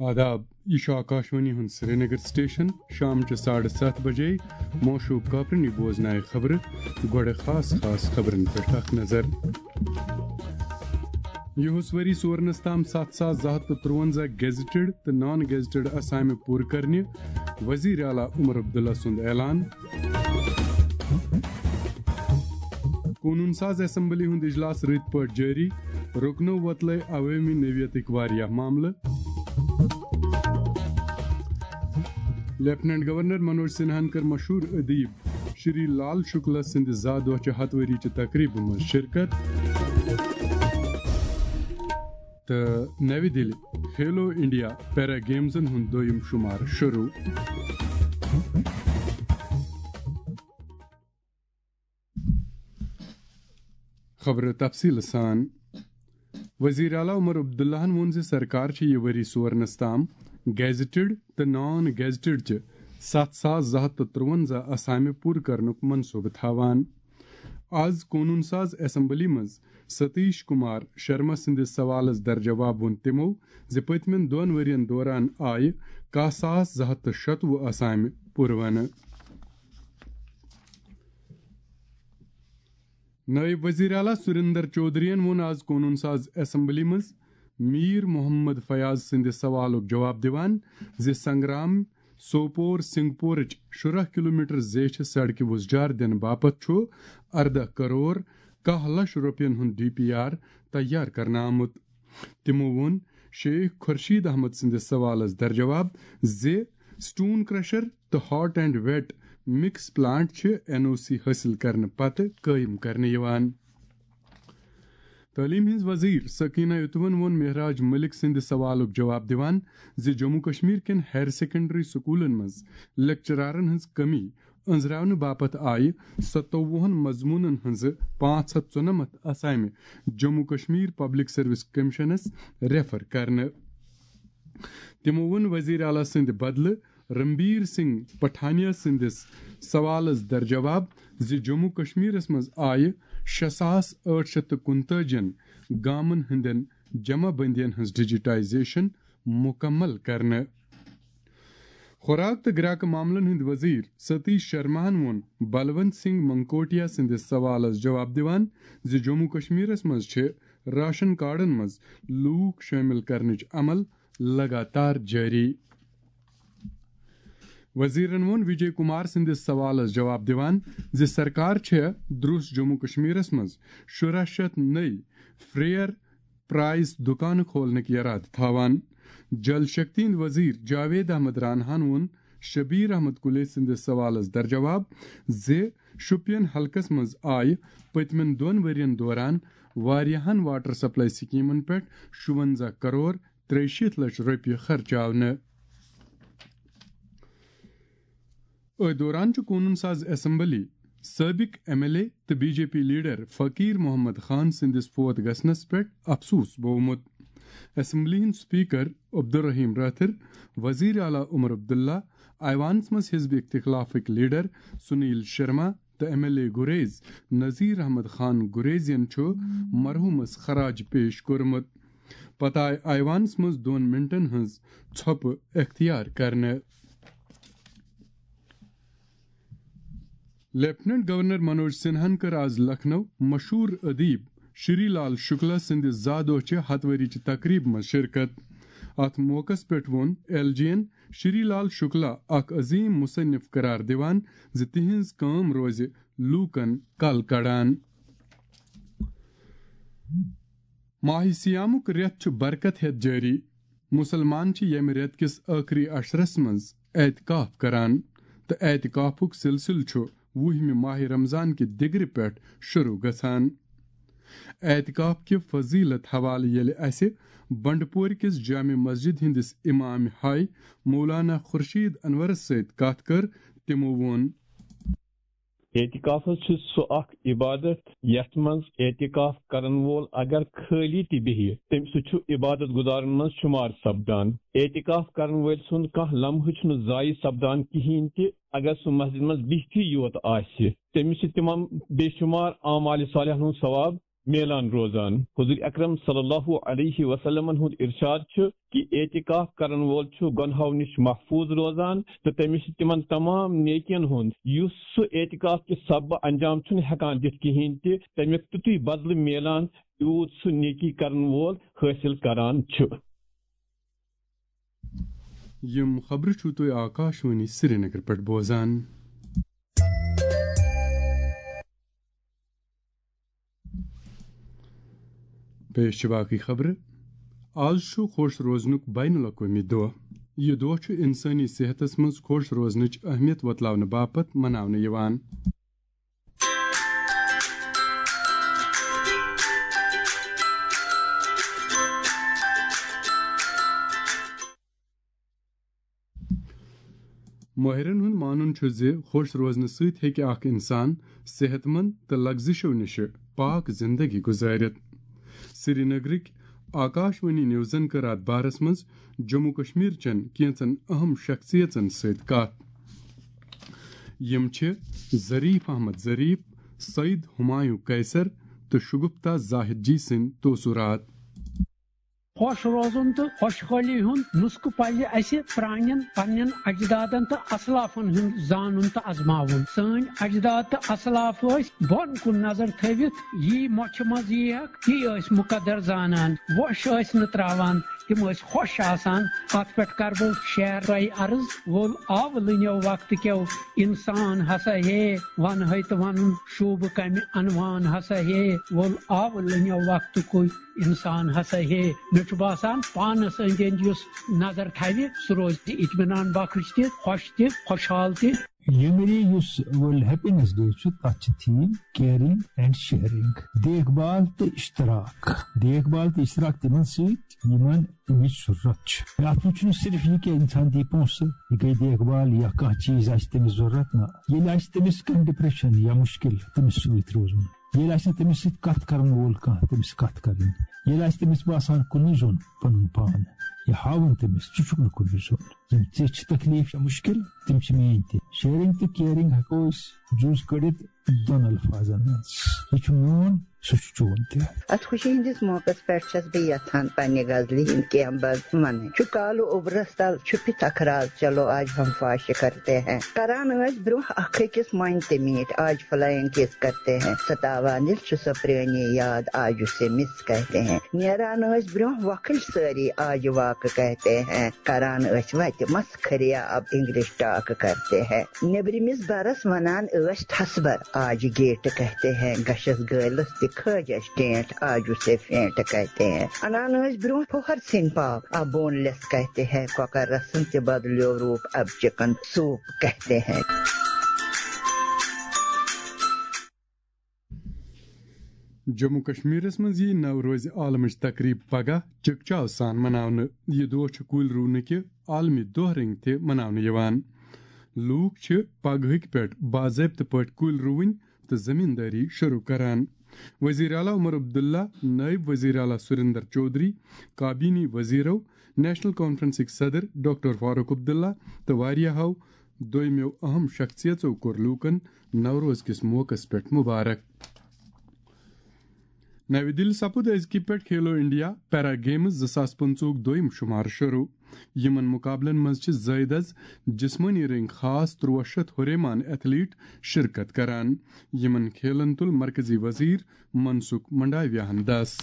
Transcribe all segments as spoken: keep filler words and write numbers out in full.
آداب، یہِ چھُ آکاشوانی ہُنٛد سرینگر سٹیشن۔ شام چہِ ساڑٕ ستھ بجے موشوٗب کاپرنی بوزنایہِ خبرٕ۔ گۄڈٕ خاص خاص خبرن پٮ۪ٹھ اکھ نظر۔ یِہُس ؤری سورنس تام ستھ ساس زٕ ہتھ تہٕ ترٛوَنزاہ گیزٹڈ تہٕ نان گیزٹڈ اسامہِ پوٗرٕ کرنہِ، وزیر اعلیٰ عمر عبداللہ سُنٛد اعلان۔ قونوٗن ساز اسمبلی ہُنٛد اجلاس رٕتۍ پٲٹھۍ جٲری، رُکنو وۄتلٲے عوٲمی نوعیتٕکۍ واریاہ معاملہٕ۔ لیفٹیننٹ گورنر منوج سنہاہن کٔر مشہوٗر ادیب شری لال شکلا سٕنٛدِ زا دۄہ چہِ ہتھ ؤری چہِ تقریبہِ منٛز شرکت۔ تہٕ نَوِ دِلہِ کھیلو انڈیا پیرا گیمزن ہُنٛد دوٚیِم شُمار شروٗع۔ خبرٕ تفصیٖل سان۔ وزیر اعلیٰ عمر عبداللہن ووٚن زِ سرکار چھِ یہِ ؤری سورنس تام گیزٹڈ تہٕ نان گیزٹڈ چہِ ستھ ساس زٕ ہتھ تہٕ ترٛوَنزاہ اسامہِ پوٗرٕ کرنُک منصوبہٕ تھاوان۔ از قونوٗن ساز اسمبلی منٛز ستیش کمار شرما سٕنٛدِس سوالس درجواب ووٚن تِمو زِ پٔتمٮ۪ن دۄن ؤرین دوران آیہِ کاہ ساس زٕ ہتھ تہٕ شتوُہ اسامہِ پوٗرونہٕ۔ نٲیِب وزیر اعلیٰ سُریندر چودھرین ووٚن آز قونوٗن ساز اسمبلی منٛز میٖر محمد فیاض سٕنٛدِ سوالُک جواب دِوان زِ سنگرام سوپور سنگپورٕچ شُراہ کلومیٹر زیچھِ سڑکہِ وُزجار دِنہٕ باپتھ چھُ ارداہ کرور کاہ لچھ رۄپین ہُنٛد ڈی پی آر تیار کرنہٕ آمُت۔ تِمو ووٚن شیخ خورشید احمد سٕنٛدِس سوالس درجواب زِ سٹون کرشر تہٕ hot and wet mix plant چھِ این او سی حٲصِل کرنہٕ پتہٕ قٲیِم کرنہٕ یِوان۔ تعلیٖم ہٕنٛز وزیر سکینہ یتوَن ووٚن مہراج ملک سٕنٛدِ سوالُک جواب دِوان زِ جموں کشمیر کٮ۪ن ہایر سیکنڈری سکوٗلن منٛز لیکچرارن ہٕنٛز کمی أنٛزراونہٕ باپتھ آیہِ ستووُہن مضموٗنن ہٕنٛزٕ پانٛژھ ہتھ ژُنَمتھ اسامہِ جموں کشمیر پبلک سروس کمیشنس ریفر کرنہٕ۔ تِمو ووٚن وزیر اعلیٰ سٕنٛدِ بدلہٕ رنبیر سنگھ پٹھانیہ سٕنٛدِس سوالس درجواب زِ جموں کشمیرس منٛز آیہِ شےٚ ساس ٲٹھ شیٚتھ تہٕ کُنتٲجِن گامن ہٕنٛدٮ۪ن جمع بندین ہٕنٛز ڈیجیٹائزیشن مُکمل کرنہٕ۔ خوراک تہٕ گراکہٕ معاملن ہٕنٛدۍ وزیر ستیش شرماہن ووٚن بلونت سنگھ منکوٹیا سٕنٛدِس سوالس جواب دِوان زِ جموں کشمیرس منٛز چھِ راشن کارڈن منٛز لوٗکھ شٲمِل کرنٕچ عمل لگاتار جٲری۔ وزیرن ووٚن وجے کمار سٕنٛدِس سوالس جواب دِوان زِ سرکار چھےٚ درُس جموں کشمیرس منٛز شُراہ شیٚتھ نٔوۍ فریئر پرائس دُکانہٕ کھولنٕکۍ یرادٕ تھاوان۔ جل شکتی ہٕنٛدۍ وزیر جاوید احمد راناہن ووٚن شبیر احمد کُلے سٕنٛدِس سوالس درجواب زِ شوپین حلقس منٛز آیہِ پٔتمٮ۪ن دۄن ؤرین دوران واریاہن واٹر سپلائی سکیمن پٮ۪ٹھ شُوَنزاہ کرور ترٛیہِ شیٖتھ لچھ رۄپیہِ خرچاونہٕ۔ أتھۍ دوران چھُ قونوٗن ساز اسمبلی سٲبِق ایم ایل اے تہٕ بی جے پی لیڈر فقیر محمد خان سٕنٛدِس فوت گژھنس پٮ۪ٹھ افسوس بوومُت۔ اسمبلی ہٕنٛدۍ سپیکر عبدالرحیم رٲتھر، وزیر اعلیٰ عمر عبداللہ، ایوانس منٛز حزب اختلافٕکۍ لیڈر سنیل شرما تہٕ ایم ایل اے گریز نذیر احمد خان گریزین چھُ مرحومس خراج پیش کوٚرمُت۔ پتہٕ آیہِ ایوانس منٛز دۄن منٹن ہٕنٛز ژھۄپہٕ اختیار کرنہٕ۔ لیفٹیننٹ گورنر منوج سنہاہن کٔر آز لکھنؤ مشہوٗر ادیب شری لال شکلا سٕنٛدِ زا دۄہ چہِ ہتھ ؤری چہِ تقریبہِ منٛز شرکت۔ اتھ موقعس پٮ۪ٹھ ووٚن ایل جی ین شری لال شکلا اکھ عظیم مصنف قرار دِوان زِ تِہنٛز کٲم روزِ لوٗکن کل کڑان۔ ماہِ صیامُک رٮ۪تھ چھُ برکت ہٮ۪تھ جٲری۔ مُسلمان چھِ ییٚمہِ رٮ۪تہٕ کِس ٲخری عشرس منٛز اعتکاف کران تہٕ اعتکافُک سلسلہٕ چھُ وُہمہِ ماہِ رمضان کہِ دِگرِ پٮ۪ٹھ شروع گژھان۔ اعتکاف کہِ فضیلت حوالہٕ ییٚلہِ اسہِ بنڈپور کِس جامع مسجد ہٕنٛدِس امام ہاے مولانا خورشید انورس سۭتۍ کتھ کٔر، تِمو ووٚن۔ اعتکاف حظ چھُ سُہ اکھ عبادت یتھ منٛز اعتکاف کرن وول اگر خٲلی تہِ بیہہِ، تٔمۍ سُہ چھُ عبادت گزارن منٛز شمار سپدان۔ اعتکاف کرن وٲلۍ سُنٛد کانٛہہ لمحہٕ چھُنہٕ ضایع سپدان کِہینۍ تہِ، اگر سُہ مسجد منٛز بِہتھٕے یوت آسہِ۔ تٔمِس چھِ تِمن بے شمار اعمال صالحن ہُنٛد ثواب میلان روزان۔ حضور اکرم صلی اللہ علیہ وسلمن ہُنٛد ارشاد چھُ کہِ اعتکاف کرن وول چھُ گۄنہو نِش محفوظ روزان تہٕ تٔمِس چھِ تِمن تمام نیکین ہُنٛد، یُس سُہ اعتکاف کہِ سببہٕ انجام چھُنہٕ ہٮ۪کان دِتھ کِہیٖنۍ تہِ، تَمیُک تیُتُے بدلہٕ میلان، یوٗت سُہ نیکی کرن وول حٲصِل کران چھُ۔ یِم خبرٕ چھِو تُہۍ آکاشوانی سرینگر پٮ۪ٹھ بوزان۔ پیش چھِ باقٕے خبرٕ۔ آز چھُ خۄش روزنُک بین الاقوٲمی دۄہ۔ یہِ دۄہ چھُ اِنسٲنی صحتس منٛز خۄش روزنٕچ اہمیت وۄتلاونہٕ باپتھ مناونہٕ یِوان۔ مٲہرن ہُنٛد مانُن چھُ زِ خۄش روزنہٕ سۭتۍ ہیٚکہِ اکھ اِنسان صحت مند تہٕ لغزشو نِشہِ پاک زندگی گُزٲرِتھ۔ سرینگرٕکۍ آکاشوانی نیوزن کٔر اتھ بارس منٛز جموں کشمیر چٮ۪ن کینٛژن اہم شخصیژن سۭتۍ کتھ۔ یِم چھِ ظریف احمد ظریف، سعید ہمایوں قیصر تہٕ شگفتہ زاہد جی سٕنٛدۍ توسُرات۔ خۄش روزُن تہٕ خۄشحٲلی ہُنٛد نُسخہٕ پزِ اسہِ پرٛانٮ۪ن پننٮ۪ن اجدادن تہٕ اسلافن ہُنٛد زانُن تہٕ ازماوُن۔ سٲنۍ اجداد تہٕ اسلاف ٲسۍ بۄن کُن نظر تھٲوِتھ یی مۄچھِ منٛز یی ہکھ، تی ٲسۍ مُقدر زانان، وۄش ٲسۍ نہٕ تراوان، تِم ٲسۍ خۄش آسان۔ اتھ پٮ۪ٹھ کرٕ بہٕ شعر تۄہہِ عرض۔ وول آو لٕنیو وقتہٕ کیو انسان ہسا ہے، ونہٕ ہے تہٕ ونُن شوٗبہٕ کمہِ عنوان ہسا ہے۔ وول آو لٕنیو وقتہٕ کُے انسان ہسا ہے۔ مےٚ چھُ باسان پانس أنٛدۍ أنٛدۍ یُس نظر تھاوِ، سُہ روزِ اطمینان بخش تہِ، خۄش تہِ، خۄشحال تہِ۔ ییٚمہِ ؤری یُس World Happiness Day چھُ، تَتھ چھِ theme caring and sharing، دیکھ بھال تہٕ اشتراک۔ دیکھ بھال تہٕ اشتراک تِمن سۭتۍ، یِمن تَمِچ ضروٗرت چھِ۔ اَتھ منٛز چھُنہٕ صرف یہِ کہِ اِنسان دی پونٛسہٕ، یہِ گٔے دیکھ بھال یا کانٛہہ چیٖز آسہِ تٔمِس ضروٗرت، نہ۔ ییٚلہِ آسہِ تٔمِس کانٛہہ depression یا مُشکِل، تٔمِس سۭتۍ روزُن۔ ییٚلہِ آسہِ نہٕ تٔمِس سۭتۍ کَتھ کَرَن وول کانٛہہ، تٔمِس کَتھ کَرٕنۍ۔ ییٚلہِ آسہِ تٔمِس باسان کُنُے زوٚن پَنُن پان، یہِ ہاوُن تٔمِس، ژٕ چھُکھ نہٕ کُنُے زوٚن۔ یِم ژےٚ چھِ تکلیٖف یا مُشکِل، تِم چھِ میٛٲنۍ تہِ۔ Sharing تہٕ caring ہٮ۪کو أسۍ جُز کٔڑِتھ دۄن الفاظن منٛز۔ یہِ چھُ میون، سُہ چھُ چون تہِ۔ اتھ خوشی ہٕنٛدِس موقعس پٮ۪ٹھ چھَس بہٕ یژھان پننہِ غزلہِ ہٕنٛدۍ کینٛہہ بند ونٕنۍ۔ چھُ کالہٕ اوٚبرس تل، چھُ پِتھ اکھ راز، چلو آج ہم فاش کرتے ہیں۔ کران ٲسۍ برٛونٛہہ اکھ أکِس مۄنۍ تہِ میٖٹھۍ، آج فلائنگ کس کرتے ہیں۔ ستاوان ییٚلہِ چھُ سۄ پرٛٲنی یاد، آج اسے مِس کہتے ہیں۔ نیران ٲسۍ برٛونٛہہ وۄکھٕلۍ سٲری، آج واک کہتے ہیں۔ کران ٲسۍ وتہِ مس کھریا، اب انگلش ٹاک کرتے ہیں۔ نیبرمِس برس ونان ٲسۍ ٹھسبر، آج گیٹ کہتے ہیں۔ گشس گٲلس تہِ کھٲج اَسہِ ٹینٹ، آج اسے فینٹ کہتے ہیں۔ انان ٲسۍ برونٛہہ پھوہر سِنۍ پاو، اب بون لیس کہتے ہیں۔ کۄکر رسن تہِ بدلیو روٗپ، اب چکن سوپ کہتے ہیں۔ جموں کشمیرس منٛز ییہِ نوروز عالمٕچ تقریب پگاہ چکچاو سان مناونہٕ۔ یہِ دۄہ چھُ کُلۍ رُونہٕ کہِ عالمی دۄہ رنگۍ تہِ مناونہٕ یِوان۔ لوٗکھ چھِ پگہٕکۍ پٮ۪ٹھ باضٲبطہٕ پٲٹھۍ کُلۍ رُوٕنۍ تہٕ زٔمیٖندٲری شروٗع کران۔ وزیر اعلیٰ عمر عبداللہ، نائب وزیر اعلیٰ سریندر چودھری، کابینی وزیرو، نیشنل کانفرنسٕکۍ صدر ڈاکٹر فاروق عبداللہ تہٕ واریاہو دوٚیمٮ۪و اہم شخصیژو کوٚر لوٗکن نوروز کِس موقعس پٮ۪ٹھ مبارک۔ نَوِ دِلہِ سپُد أزکہِ پٮ۪ٹھ کھیلو انڈیا پیرا گیمز زٕ ساس پٕنٛژٕہُک دوٚیِم شُمار شروٗع۔ یِمن مُقابلن منٛز چھِ زٲیدٕ از جسمٲنی رٔنٛگۍ خاص تُرٛواہ شیٚتھ ہُریمان ایتھلیٹ شرکت کران۔ یِمن کھیلن تُل مرکزی وزیر منسکھ منڈاویاہن دس۔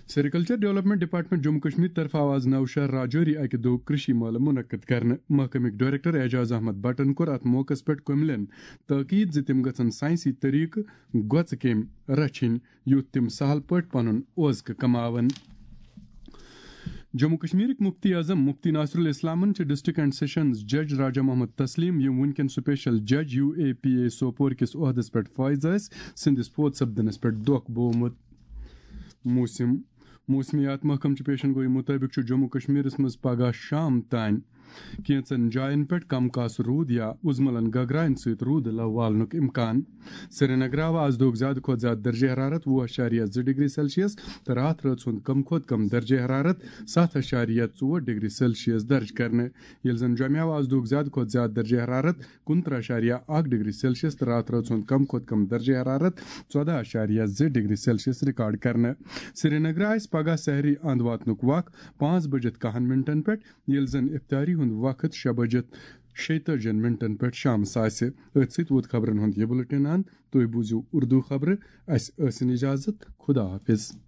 سیریکلچر ڈیولپمنٹ ڈپارٹمنٹ جموں کشمیر طرفہٕ آو از نوشہر راجوری اکہِ دۄہ کرشی مٲلہٕ منعقد کرنہٕ۔ محکمٕکۍ ڈائریکٹر اعجاز احمد بٹن کوٚر اتھ موقعس پٮ۪ٹھ کٔملٮ۪ن تٲکید زِ تِم گژھن سائنسی طریقہٕ گۄژٕ کیمۍ رچھِنۍ، یُتھ تِم سہل پٲٹھۍ پنُن اوزکہٕ کماون۔ جموں کشمیرٕکۍ مفتی اعظم مفتی ناصر الاسلامن چھِ ڈسٹرکٹ اینڈ سیشنز جج راجہ محمد تسلیم، یِم وُنکٮ۪ن سپیشل جج U A P A Sopore کِس عہدس پٮ۪ٹھ فٲیض ٲسۍ، سٕنٛدِس فوت سپدنس پٮ۪ٹھ دۄکھ بوومُت۔ موسم۔ موسمیات محکمہٕ چہِ پیشن گویی مُطٲبِق چھُ جموں کشمیرس منٛز پگاہ شام تام کینٛژن جاین پٮ۪ٹھ کم کاسہٕ روٗد یا اُزملن گگراین سۭتۍ روٗدٕ لو والنُک امکان۔ سرینگر آو آز دۄہُک زیادٕ کھۄتہٕ زیادٕ درجہ حرارت وُہ اَشاریہ زٕ ڈگری سیلسیس تہٕ راتھ رٲژ ہُنٛد کم کھۄتہٕ کم درجہ حرارت ستھ اَشاریہ ژور ڈگری سیلسیس درج کرنہٕ، ییٚلہِ زن جوٚمہِ آو آز دۄہُک زیادٕ کھۄتہٕ زیادٕ درجہ حرارت کُنترٕہ اَشاریہ اَکھ ڈگری سیلسیس تہٕ راتھ رٲژ ہُنٛد کم کھۄتہٕ کم درجہ حرارت ژۄدہ اَشاریہ زٕ ڈگری سیلسیس ریکارڈ کرنہٕ۔ سرینگر آسہِ پگاہ سحری اند واتنُک وق پانٛژھ بجِتھ کاہن منٹن پٮ۪ٹھ، ییٚلہِ زن افطاری ہُنٛد وقت شےٚ بجِتھ شیٚتٲجِہن منٹن پٮ۪ٹھ شامس آسہِ۔ أتھۍ سۭتۍ ووت خبرن ہُنٛد یہِ بُلٹن اند۔ تُہۍ بوٗزِو اردو خبرٕ۔ اسہِ ٲسِن اجازت۔ خدا حافظ۔